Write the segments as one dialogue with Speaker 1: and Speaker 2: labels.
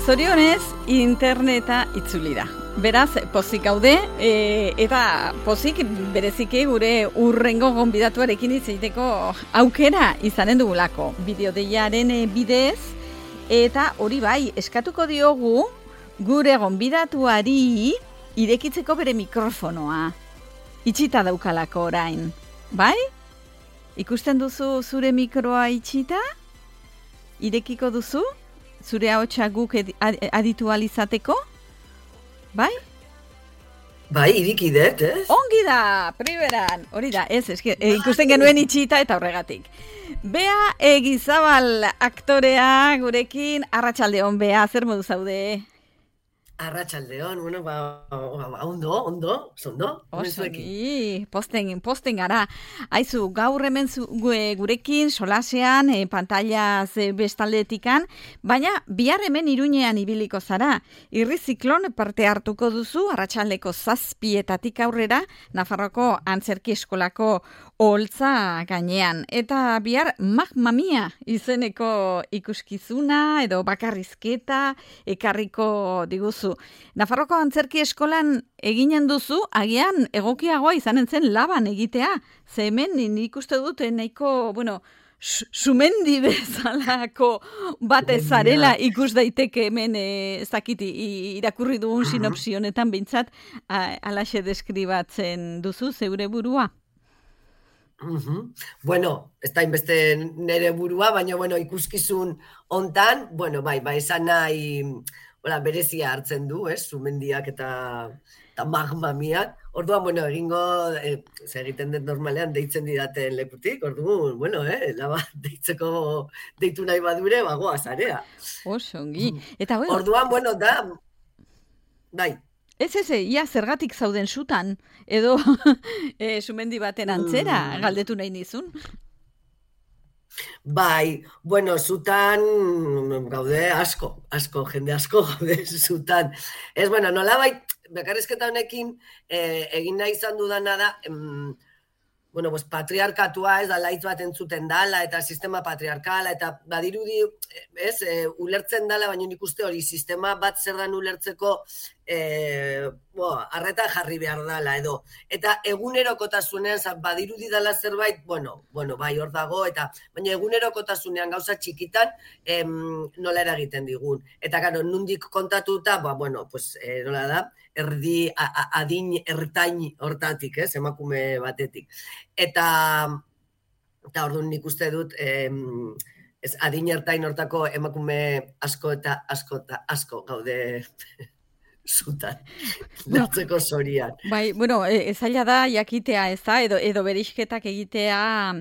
Speaker 1: Zorionez, interneta itzuli da. Beraz, pozik gaude, eta pozik bereziki gure urrengo gonbidatuarekin izateko aukera izanen dugulako. Bideodeiaren bidez, eta hori bai, eskatuko diogu gure gonbidatuari irekitzeko bere mikrofonoa. Itxita daukalako orain, bai? Ikusten duzu zure mikroa itxita? Irekiko duzu? Zure ahotsa guk aditu alizateko? Bai?
Speaker 2: Bai, iriki dut, ez?
Speaker 1: Ongi da, primeran. Hori da, ikusten genuen itxita eta horregatik. Bea Egizabal aktorea gurekin, arratsaldeon Bea, zer modu zaude?
Speaker 2: Arratsaldeon, bueno, ondo,
Speaker 1: Osongi, posten gara. Aizu, gaur hemen gurekin, solasean, pantailaz bestaldetikan, baina bihar hemen Iruñean ibiliko zara. Irriziklon parte hartuko duzu, arratsaldeko 7:00 aurrera, Nafarroko Antzerki Eskolako oholtza gainean. Eta bihar Mamma Mia izeneko ikuskizuna edo bakarrizketa ekarriko diguzu. Nafarroko Antzerki Eskolan eginen duzu, agian egokiagoa izanen zen laban egitea. Ze hemen nik uste dut nahiko, sumendi bezalako batez zarela ikus daiteke hemen irakurri dugun sinopsi honetan behintzat alaxe deskribatzen duzu zeure burua.
Speaker 2: Bueno, ez da inbeste nere burua, baina ikuskizun hontan, bai, esan nahi berezia hartzen du, sumendiak eta Mamma Miak. Orduan, egingo, egiten dut normalean deitzen didaten lekutik, orduan, laba deitu nahi badure, bagoa zarea.
Speaker 1: Osongi.
Speaker 2: Orduan, da, bai.
Speaker 1: Ez, ia zergatik zauden sutan, edo sumendi baten antzera, galdetu nahi nizun.
Speaker 2: Bai, zutan gaude asko, jende asko gaude zutan. Ez, nolabait, bakarrizketa honekin egin nahi izan dudana da, patriarkatua ez da laitz bat entzuten dala, eta sistema patriarkala, eta badirudi, ulertzen dala, baina nik uste hori sistema bat zer dan ulertzeko arreta jarri behar dala edo. Eta egunerokotasunean, badirudi dala zerbait, bai hor dago, baina egunerokotasunean gauza txikitan nola eragiten digun. Eta gero, nundik kontatuta, nola da, adin ertain hortatik, emakume batetik. Eta orduan nik uste dut, adin ertain hortako emakume asko eta asko gaude zutan, nertzeko zorian.
Speaker 1: Bai, zaila da jakitea ez da, edo bereizketak egitea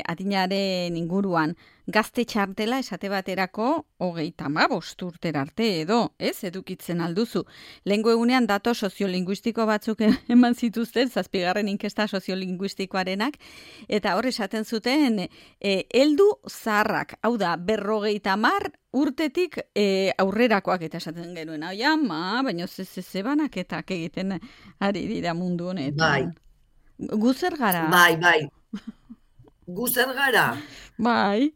Speaker 1: adinaren inguruan. Gazte txartela esate baterako 35 urtera arte edo, edukitzen alduzu. Lehengo egunean dato soziolinguistiko batzuk eman zituzten, 7. inkesta soziolinguistikoarenak, eta hor esaten zuten, heldu zaharrak, hau da, 50 urtetik aurrerakoak eta esaten genuen. Baina zebanaketak egiten ari dira mundu honetan.
Speaker 2: Bai.
Speaker 1: Guzer gara?
Speaker 2: Bai. Guzer gara?
Speaker 1: Bai.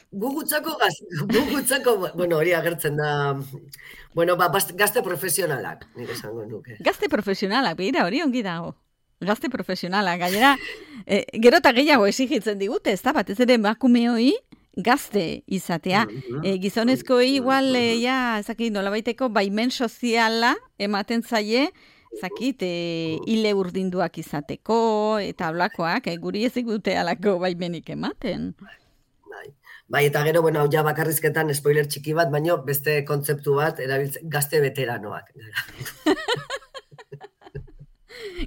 Speaker 2: Gugutzako, hori agertzen da, gazte profesionalak, nire esango nuke.
Speaker 1: Gazte profesionalak, behira, hori ongi dago. Gazte profesionalak, gainera, gero eta gehiago exigitzen digute, ez da, batez ere emakumeoi gazte izatea. Gizonezkoei igual, nolabaiteko baimen soziala ematen zaie, hile urdinduak izateko, eta blakoak, guri ez digute alako baimenik ematen.
Speaker 2: Bai, eta gero, hau ja bakarrizketan spoiler txiki bat, baino beste kontzeptu bat, erabiltzen gazte veteranoak.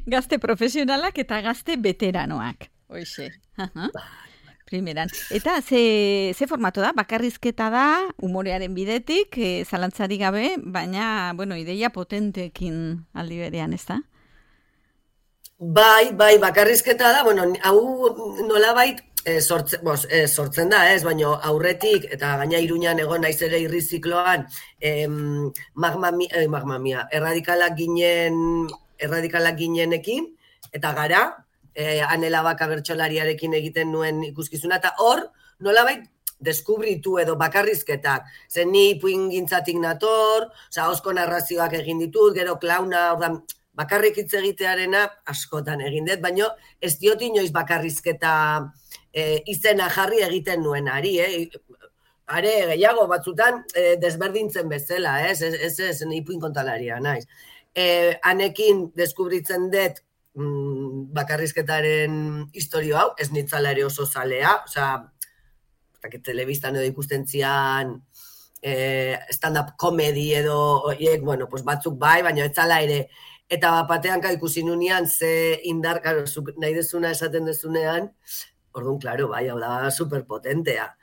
Speaker 1: Gazte profesionalak eta gazte veteranoak. Hoxe. Primeran. Eta ze formato da? Bakarrizketa da, umorearen bidetik, zalantzari gabe, baina, ideia potentekin aldi berean, ez da?
Speaker 2: Bai, bakarrizketa da, hau nolabait sortzen da, baina aurretik, eta gaina Iruñan egon naiz ere irrizikloan, Mamma Mia, erradikalak ginenekin, eta gara, Anela Baka bertsolariarekin egiten nuen ikuskizuna, eta hor, nolabait, deskubritu edo bakarrizketak. Zen ni ipuingintzatik nator, osko narrazioak egin ditut, gero klauna, ordan, bakarrik hitz egitearena askotan egin dut, baina ez diot inoiz bakarrizketa izena jarri egiten nuen ari, are gehiago batzutan desberdintzen bezala, ez, ipuin kontalaria naiz. Hanekin deskubritzen dut bakarrizketaren historio hau, ez nitzala ere oso zalea, telebistan edo ikusten zian stand-up comedy edo oiek, bueno, pues batzuk bai, baina etzala ere. Eta batean ikusi nunean ze indar, nahi dezuna esaten dezunean, orduan, klaro, bai, hau da superpotentea.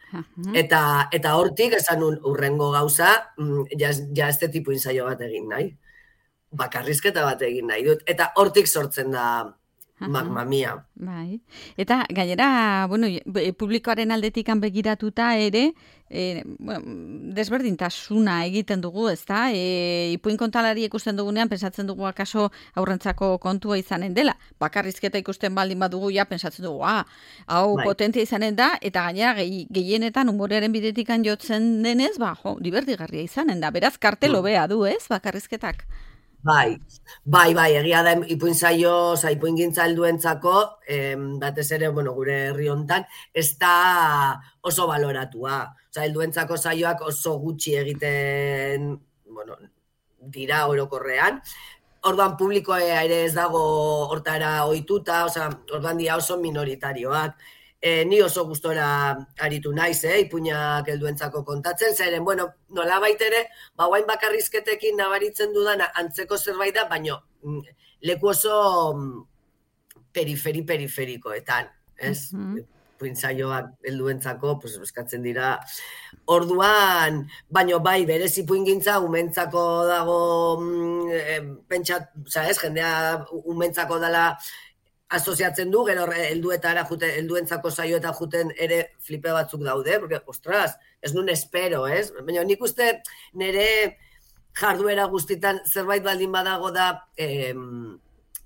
Speaker 2: Eta hortik esan urrengo gauza, ja este tipo ensaio bat egin nahi. Bakarrizketa bat egin nahi dut. Eta hortik sortzen da Mamma Mia.
Speaker 1: Bai. Eta gainera, bueno, publikoaren aldetikan begiratuta ere, desberdintasuna egiten dugu, ezta? Ipuin kontalari ikusten dugunean, pensatzen dugu akaso aurrentzako kontua izanen dela. Bakarrizketa ikusten baldin badugu, ja, pensatzen dugu, hau potentia izanen da, eta gainera gehienetan humorearen bidetikan jotzen denez, divertigarria izanen da. Beraz, kartelo bea du, ez, bakarrizketak?
Speaker 2: Bai, egia da ipuingintza helduentzako, batez ere, bueno, gure herri hontan, ez da oso baloratua. Helduentzako saioak oso gutxi egiten, bueno, dira orokorrean. Orduan publikoa ere ez dago hortara ohituta, orduan dira oso minoritarioak. Ni oso gustora aritu naiz, ipuinak helduentzako kontatzen, zeren, bueno, nolabait ere, guain bakarrizketekin nabaritzen dudana antzeko zerbait da, baina leku oso periferikoetan, ez? Ipuintzaioak helduentzako, pues, eskatzen dira. Orduan, baina bai, berez ipuingintza umentzako dago, pentsat, jendea umentzako dela asoziatzen du, gero helduentzako saioetan juten ere flipe batzuk daude, porque, ostras, ez nun espero, ez? Baina nik uste nire jarduera guztitan zerbait baldin badago da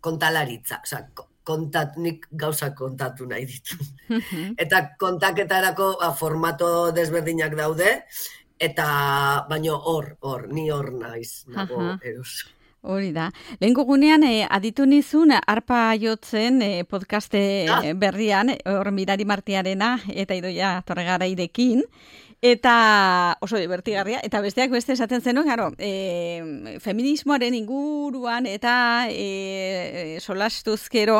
Speaker 2: kontalaritza, nik gauzak kontatu nahi ditu. Eta kontaketarako formato desberdinak daude, eta baina ni hor naiz, nago eroso.
Speaker 1: Hori da. Lehenko gunean, aditu nizun, arpa jotzen podcaste berrian, hor Mirari Martiarena, eta Idoia Torregarairekin, eta oso divertigarria, eta besteak beste esaten zenuen, feminismoaren inguruan, eta solastuzkero,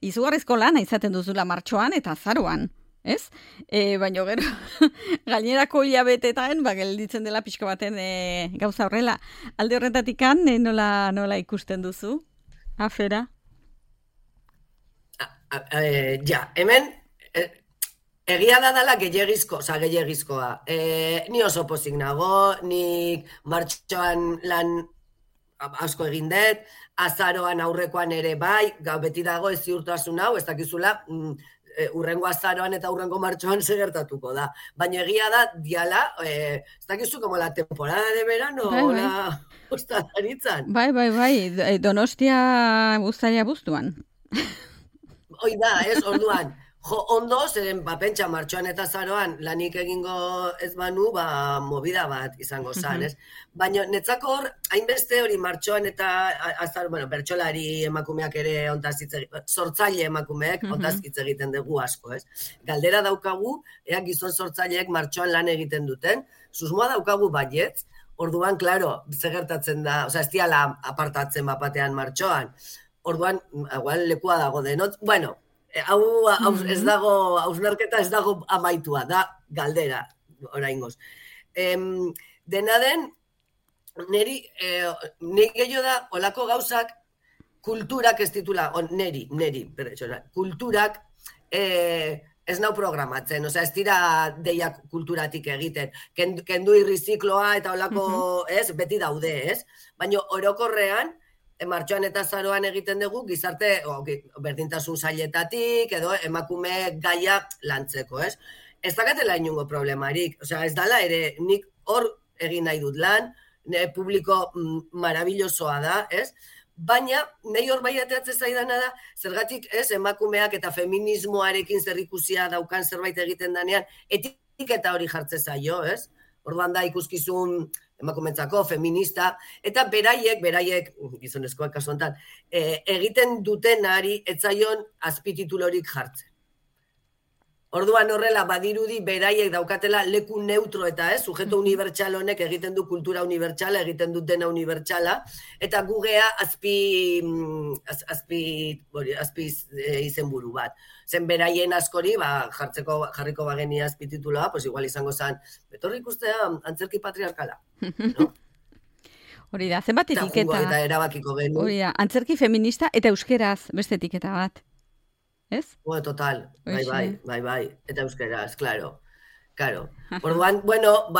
Speaker 1: izugarrizko lana izaten duzula martxoan, eta azaroan. Ez? Baina gero, gainerako hilabetetan, gelditzen dela pixko baten gauza horrela. Alde horretatikan, nola ikusten duzu? Afera?
Speaker 2: Hemen, egia da dela gehiagizkoa. Ni oso pozik nago, nik martxoan lan asko egin dut, azaroan aurrekoan ere bai, beti dago ez ziurtasun hau, ez dakizula, urrengo azaroan eta urrengo martxoan segertatuko da. Baina egia da, diala, ez dakizu como la temporada de verano, la ostalaritzan.
Speaker 1: Bai, Donostia uztaila buztuan.
Speaker 2: Hoi da, orduan, ondo, zeren pentsa martxoan eta azaroan lanik egingo ez banu, movida bat izango zan, ez? Baina netzako hor, hainbeste hori martxoan eta azar, bueno, bertsolari emakumeak ere sortzaile emakumeek ontaz hitz egiten dugu asko, ez? Galdera daukagu, gizon sortzaileek martxoan lan egiten duten, susmoa daukagu baietz, orduan, klaro, zegertatzen da, ez diala apartatzen bapatean martxoan, orduan, lekua dago denot, bueno, hau ez dago, hausnarketa ez dago amaitua, da galdera, oraingoz. Dena den, niri gehiago da, olako gauzak, kulturak ez titula, niri, kulturak ez nau programatzen, ez dira deiak kulturatik egiten, kendu irrizikloa eta olako, beti daude, ez? Baina orokorrean, martxoan eta azaroan egiten dugu gizarte berdintasun sailetatik edo emakume gaia lantzeko, ez? Ez dakatela inungo problemarik, ez dala ere nik hor egin nahi dut lan, publiko marabillosoa da, ez? Baina, nahi hor bai ateatzen zaidana da, zergatik ez emakumeak eta feminismoarekin zerikusia daukan zerbait egiten danean, eta hori jartze zaio, ez? Orduan da ikuskizun emakumentzako, feminista, eta beraiek, gizonezkoak kasu honetan, egiten dutenari etzaion azpititulorik jartzen. Orduan horrela badirudi beraiek daukatela leku neutro eta sujeto unibertsal honek egiten du kultura unibertsala, egiten du dena unibertsala, eta gugea azpi izenburu bat. Zen beraien askori, jarriko bageni azpitituloa, pues igual izango zen, betorri ikustea antzerki patriarkala. No?
Speaker 1: Hori da, zenbat etiketa.
Speaker 2: Eta erabakiko genu.
Speaker 1: Hori da, antzerki feminista eta euskeraz beste etiketa bat. Ez?
Speaker 2: Total, bai. Eta euskeraz, claro. Orduan, bueno,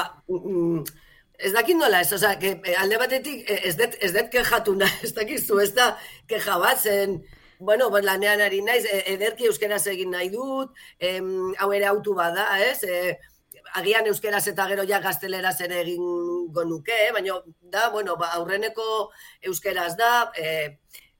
Speaker 2: ez dakit nola ez, oza, alde batetik ez dut kejatu nahi, ez dakizu, ez da keja bat zen, bueno, lanean ari naiz, ederki euskeraz egin nahi dut, hau ere autu bada, ez? Agian euskeraz eta gero ja gazteleraz ere egingo nuke, baina da, bueno, aurreneko euskeraz da,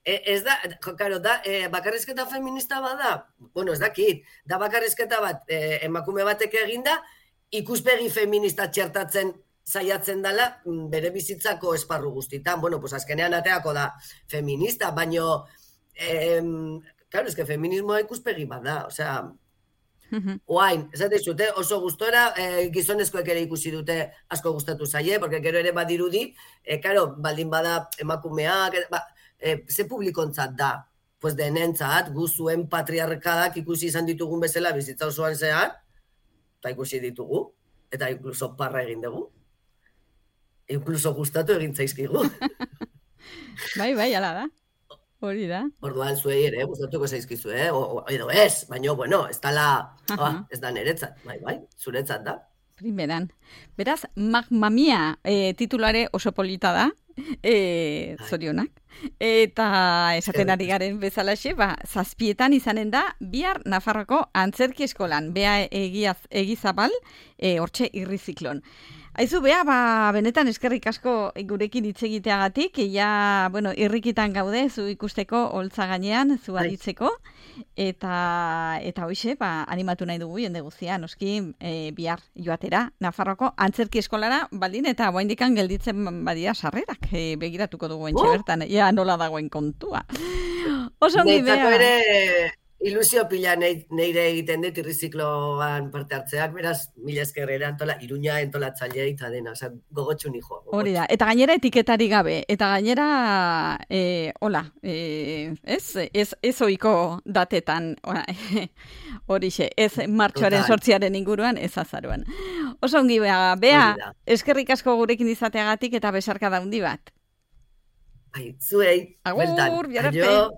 Speaker 2: ez da, karo, da, bakarrizketa feminista bada? Bueno, ez dakit, da bakarrizketa bat emakume batek eginda, ikuspegi feminista txertatzen saiatzen dela bere bizitzako esparru guztitan. Bueno, pues azkenean ateako da feminista, baino, claro, eske feminismoa ikuspegi bada, osea, oain, esate zute, oso gustora, gizonezkoek ere ikusi dute asko gustatu zaie, porque gero ere badirudi, claro, baldin bada emakumeak, ze publikontzat da, pues denentzat, guzuen patriarkadak ikusi izan ditugun bezala bizitza osoan zehar, eta ikusi ditugu, eta inkluso parra egin dugu, inkluso gustatu egin zaizkigu.
Speaker 1: Bai, ala da, hori da.
Speaker 2: Orduan zuei ere, gustatuko zaizkizu, edo ez, baina, bueno, ez da niretzat, bai, zuretzat da.
Speaker 1: Primeran. Beraz, Mamma Mia titulare oso polita da, zorionak. Eta esaten ari garen bezalaxe, 7 izanen da, bihar Nafarroko antzerki eskolan, Bea Egizabal, hortxe irriziklon. Aizu, Bea, benetan eskerrik asko gurekin hitz egiteagatik, bueno, irrikitan gaude, zu ikusteko holtza gainean, zu aditzeko, eta hoxe, animatu nahi dugu jende guztia, noski bihar joatera, Nafarroko antzerki eskolara, baldin, eta oraindikan gelditzen badia sarrerak, begiratuko dugu entxe bertan, nola dagoen kontua. Oso ongi, Bea.
Speaker 2: Netzako ere ilusio pila neire egiten dut irrizikloan parte hartzeak, beraz, mila eskerrera Iruña entolatzailea eta dena, gogotxu nijoa.
Speaker 1: Hori da, eta gainera etiketari gabe, eta gainera, ez oiko datetan, horixe, ez martxoaren 8 inguruan, ez azaruan. Oso ongi, Bea, eskerrik asko gurekin izateagatik eta besarka daundi bat.
Speaker 2: Zuei,
Speaker 1: agur, biararte.